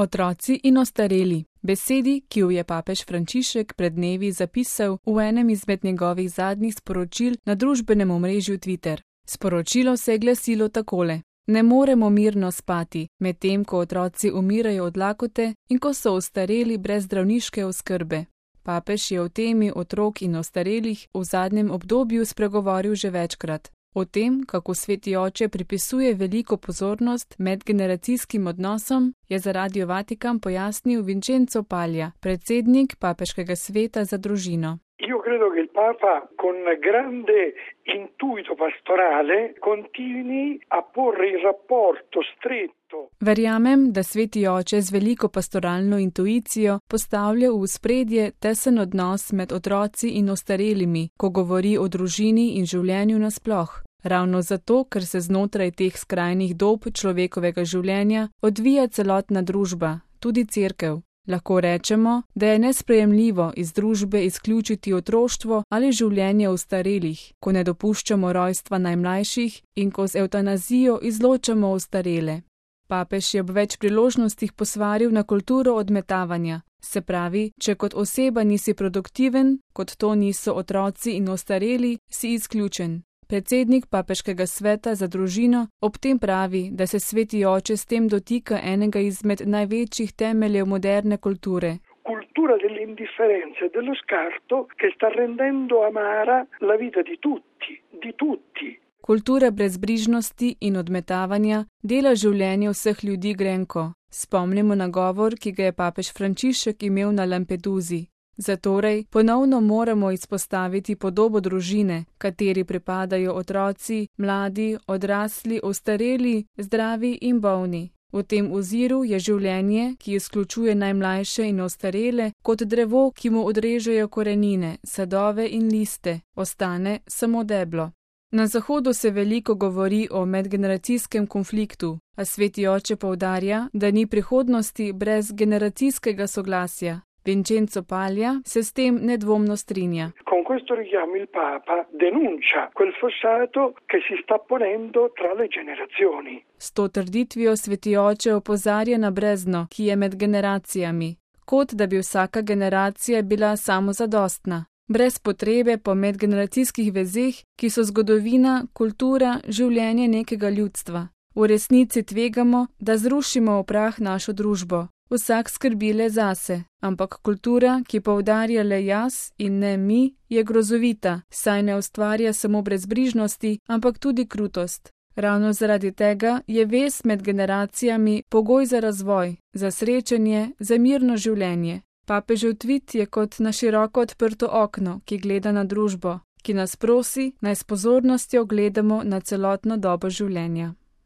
Otroci in ostareli. Besedi, ki jo je papež Frančišek pred dnevi zapisal v enem izmed njegovih zadnjih sporočil na družbenem omrežju Twitter. Sporočilo se je glasilo takole: Ne moremo mirno spati, medtem ko otroci umirajo od lakote in ko so ostareli brez zdravniške oskrbe. Papež je o temi otrok in ostarelih v zadnjem obdobju spregovoril že večkrat. O tem, kako Sveti oče pripisuje veliko pozornost medgeneracijskim odnosom, je za Radio Vatikan pojasnil Vincenzo Paglia, predsednik Papeškega sveta za družino. Io credo che il Papa, con grande intuito pastorale, continui a porre il rapporto stretto. Verjamem, da Sveti oče z veliko pastoralno intuicijo postavlja v ospredje tesen odnos med otroci in ostarelimi, ko govori o družini in življenju nasploh. Ravno zato, ker se znotraj teh skrajnih dob človekovega življenja odvija celotna družba, tudi cerkev. Lahko rečemo, da je nesprejemljivo iz družbe izključiti otroštvo ali življenje ostarelih, ko ne dopuščamo rojstva najmlajših in ko z evtanazijo izločamo ostarele. Papež je ob več priložnostih posvaril na kulturo odmetavanja. Se pravi, če kot oseba nisi produktiven, kot to niso otroci in ostareli, si izključen. Predsednik Papeškega sveta za družino ob tem pravi, da se Sveti oče s tem dotika enega izmed največjih temeljev moderne kulture. Cultura dell'indifferenza e dello scarto che sta rendendo amara la vita di tutti. Kultura brezbrižnosti in odmetavanja dela življenje vseh ljudi grenko. Spomnimo na govor, ki ga je papež Frančišek imel na Lampeduzi. Zatorej ponovno moramo izpostaviti podobo družine, kateri pripadajo otroci, mladi, odrasli, ostareli, zdravi in bolni. V tem oziru je življenje, ki izključuje najmlajše in ostarele, kot drevo, ki mu odrežejo korenine, sadove in liste, ostane samo deblo. Na Zahodu se veliko govori o medgeneracijskem konfliktu, a Sveti oče poudarja, da ni prihodnosti brez generacijskega soglasja. Vincenzo Paglia se s tem nedvomno strinja. Con questo richiamo il Papa denuncia quel fossato che si sta ponendo tra le generazioni. S to trditvijo Sveti oče opozarja na brezno, ki je med generacijami, kot da bi vsaka generacija bila samozadostna, brez potrebe po medgeneracijskih vezeh, ki so zgodovina, kultura, življenje nekega ljudstva. V resnici tvegamo, da zrušimo v prah našo družbo. Vsak skrbi le zase, ampak kultura, ki poudarja le jaz in ne mi, je grozovita, saj ne ustvarja samo brezbrižnosti, ampak tudi krutost. Ravno zaradi tega je vez med generacijami pogoj za razvoj, za srečanje, za mirno življenje. Papežev tvit je kot na široko odprto okno, ki gleda na družbo, ki nas prosi, naj s pozornostjo gledamo na celotno dobo življenja.